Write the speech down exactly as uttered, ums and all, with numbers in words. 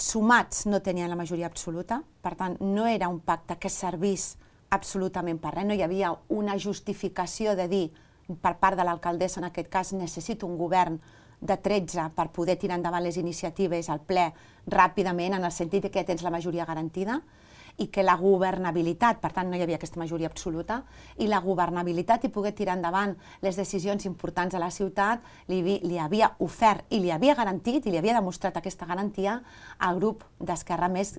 sumats no tenien la majoria absoluta, per tant, no era un pacte que servís absolutament per res, no hi havia una justificació de dir, per part de l'alcaldessa en aquest cas, necessito un govern de tretze per poder tirar endavant les iniciatives al ple ràpidament, en el sentit que ja tens la majoria garantida, i que la governabilitat, per tant no hi havia aquesta majoria absoluta, i la governabilitat i poder tirar endavant les decisions importants a la ciutat li, li havia ofert i li havia garantit i li havia demostrat aquesta garantia al grup d'Esquerra Més